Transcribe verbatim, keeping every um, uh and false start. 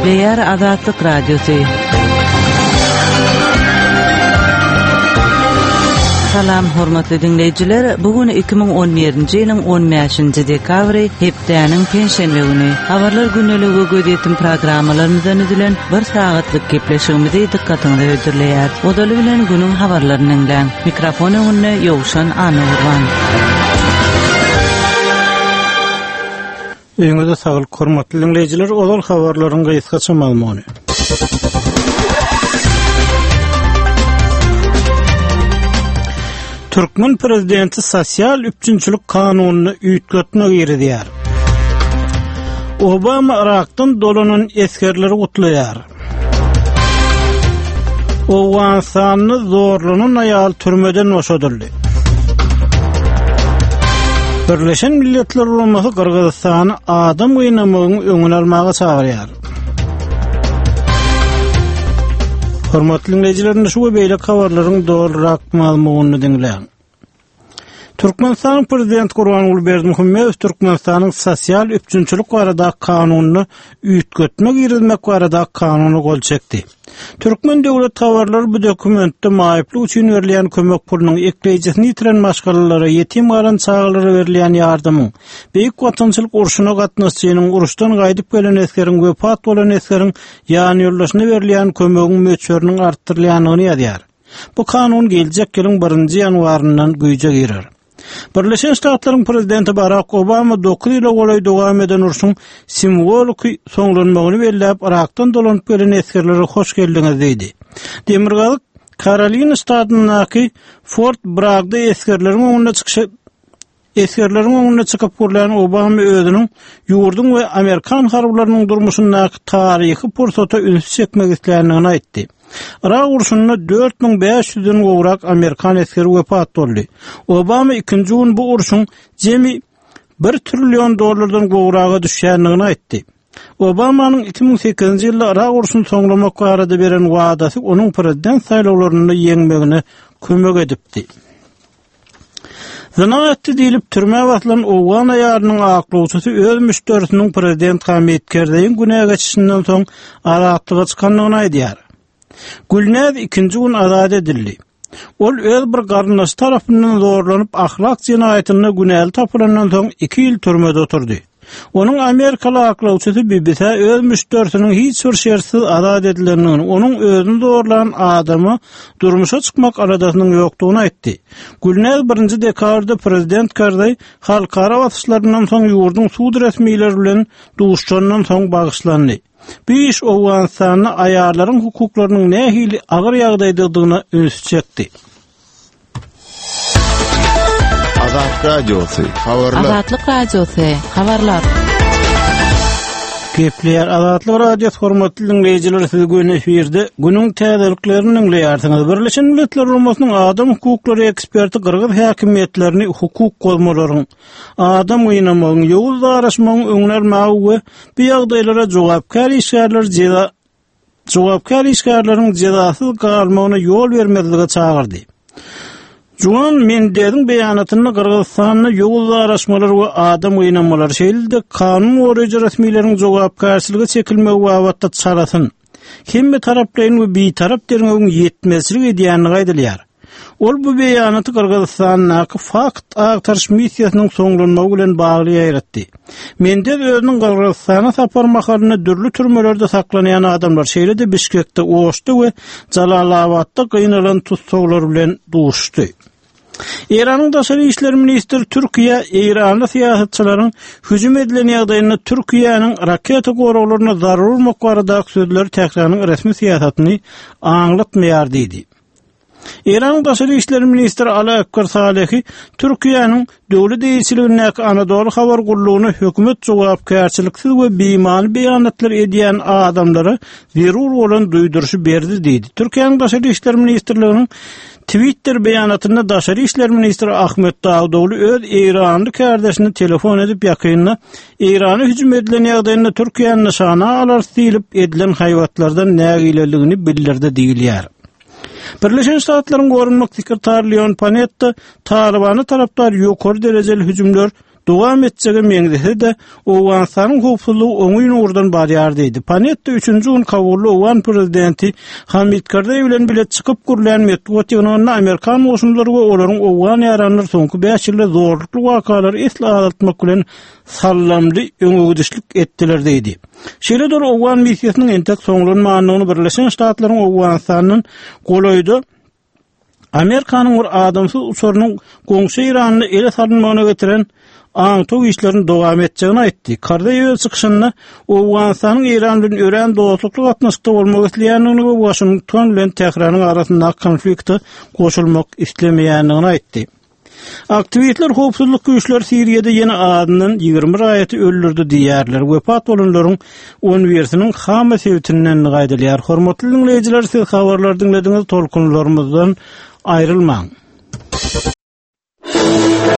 Gepleýär Azatlyk Radiosy. Salam hormatly dinleýjiler. Bu gün iki müň on birinji ýylyň on bäşinji dekabry, hepdäniň penşenbe güni. Habarlar gündeligi gözýetim programmalarymyzdan üzülen bir sagatlyk gepleşigimizi dykgatyňyza hödürleýär. Ozaly bilen günüň habarlaryny diňläň. Mikrofon öňünde Ýowşan Anagurban. Öňüňize saglyk hormatly dinleýjiler, ozal habarlaryň gysgaça mazmuny. Türkmen prezidenti sosial üpjünçilik kanunyny üýtgetme girizýär. Obama Irakdan dolanan esgerleri gutlaýar. Owganystanda zorlanan aýal türmeden boşadyldy. Birleşen Milletler Guramasy Gyrgyzystany adam gynamagyň öňüni almaga çagyrýar. Hormatly dinleýjiler, şu we beýleki habarlaryň dolurak mazmunyny diňläň. Türkmenistanyň Prezidenti Gurbanguly Berdimuhamedow Türkmenistanyň sosial üpjünçilik barada kanunyna üýtgetme girizmek barada kanuna gol çekdi. Türkmen döwlet habarlary bu dokumentde maýyplyk üçin berilýän kömek pulunyň ekleýjisini ýitiren maşgalalara, ýetim galan çagalara berilýän ýardamyň, Beýik Watançylyk urşuna gatnaşyjynyň, uruşdan gaýdyp gelen esgeriň, wepat bolan esgeriň ýan ýoldaşyna berilýän kömegiň möçberiniň artdyrylýandygyny ýazýar. Bu kanun geljek ýylyň birinji ýanwaryndan güýje girer. Birleşen Ştatlaryň prezidenti Barack Obama dokuz ýyla golaý dowam eden urşuň simwoliki soňlanmagyny belläp, Irakdan dolanyp gelen esgerlere hoş geldiňiz diýdi. Demirgazyk Karolina ştatyndaky Fort Braggda esgerleriň öňünde çykyş Esgerleriň öňünde çykyp gürlän Obama özüniň ýurduň we Amerikan harbylarynyň durmuşyndaky taryhy pursata üns çekmek isländigini aýtdy. Irak urşunda dört müň bäş ýüzden gowrak Amerikan esgeri wepat boldy. Obama ikinji gün bu urşuň jemi bir trillion dollardan gowraga düşýändigini aýtdy. Obamanyň iki müň sekizinji ýylda Irak urşuny soňlamak barada beren wadasy onuň prezident saýlawlarynda ýeňmegine kömek edipdi. Zina etdi diýlip türmä basylan Owgan aýalynyň aklawçysy öz müşderisiniň prezident Hamid Kerzeýiň günä geçişinden soň azatlyga çykandygyny aýdýar. Gülnäz ikinji gün azat edildi. Ol öz bir garyndaşy tarapyndan zorlanyp ahlak jenaýatynda günäli tapylandan soň iki ýyl türmede oturdy. Onuň Amerikaly aklawçysy B B C öz müşderisiniň hiç bir şertsiz azat edilendigini, onuň özüni zorlan adama durmuşa çykmak aladasynyň ýokdugyny aýtdy. Gülnäz birinji dekabrda prezident Karzaý halkara basyşlaryndan soň ýurduň sud resmileri bilen duşandan soň bagyşlandy. Bu iş Owganystanda aýallaryň hukuklarynyň nähili agyr ýagdaýdadygyna üns çekdi. Azat Radiosy, habarlar. Azatlyk Radiosy, habarlar. Gepleýär Azatlyk Radiosy, hormatly dinleýjiler, siz gün efirde günüň täzeliklerini dinleýärsiňiz. Birleşen Milletler Guramasynyň adam hukuklary eksperti Gyrgyz häkimiýetlerini hukuk gozmalaryň, adam gynamagyň, ýowuz daraşmagyň öňüni almagy we bu ýagdaýlara jogapkär işgärler jeza jogapkär işgärleriň jezasyz galmagyna ýol bermezlige çagyrdy. Juan Mendeziň beýanatynda Gyrgyzystanda ýowuz daraşmalar we adam gynamalar, şeýle-de kanun goraýjy resmileriň jogapkärçilige çekilmegi babatda çalasyn, hemme taraplaryň we bitarap derňewiň ýetmezçilik edýändigi aýdylýar. Ol bu beýanaty Gyrgyzystandaky fakt agtaryş missiýasynyň soňlanmagy bilen bagly ýaýratdy. Mendez özüniň Gyrgyzystana sapar mahalynda dürli türmelerde saklanýan adamlar, şeýle-de Bişkekde, Oşda we Jalalabatda gynalan tussaglar bilen duşdy. Eýranyň daşary işler ministri Türkiýe Eýranly syýasatçylaryň hüjüm edilen ýagdaýynda Türkiýäniň raketa goraglaryna zarur bolmak baradaky sözleri Tähranyň resmi syýasatyny aňlatmaýar diýdi. Eýranyň daşary işler ministri Ali Akbar Salehi Türkiýäniň döwlet eýeçiligindäki Anadolu habar gullugyna hökümet jogapkärçiliksiz we bimany beýanatlar edýän adamlara zerur bolan duýduryşy berdi diýdi. Türkiýäniň daşary işler ministrliginiň Twitter beýanatynda daşary işler ministri Ahmet Dawutoglu öz Eýranly kardeşini telefon edip ýakynda Eýrana hüjüm edilen ýagdaýynda Türkiýäni nyşana alar diýlip edilen haýbatlardan nägileligini bildirdi diýilýär. Birleşen Ştatlaryň goranmak sekretary Leon Panetta Talibana tarapdar ýokary derejeli hüjümler dowam etjege meňzese-de, Owganystanyň howpsuzlygy oňyn ugurdan barýar diýdi. Panetta üçünji gün Kabulda Owgan prezidenti Hamid Karzaý bilen bile çykyp gürlän metbugat ýygnagynda Amerikan goşunlary we olaryň owgan ýaranlary soňky bäş ýylda zorlukly wakalary esli azaltmak bilen sallamly öňegidişlik etdiler diýdi. Şeýle-de ol owgan missiýasynyň entek soňlanmandygyny Birleşen Ştatlaryň Owganystandan golaýda Amerikanyň bir adamsyz uçarynyň goňşy Eýranda ele salynmagyna getiren aňtaw işlerini dowam etjegini aýtdy. Karzaý öz çykyşynda Owganystanyň Eýran bilen örän dostlukly gatnaşykda bolmak isleýändigini we Waşington bilen Tähranyň arasyndaky konflikte goşulmak islemeýändigini aýtdy. Aktiwistler howpsuzlyk güýçleri Siriýada ýene azyndan ýigrimi raýaty öldürdi diýýärler. Wepat bolanlaryň on birisiniň Hama sebitindendigi aýdylýar. Hormatly diňleýjiler, siz habarlary diňlediňiz, tolkunlarymyzdan aýrylmaň.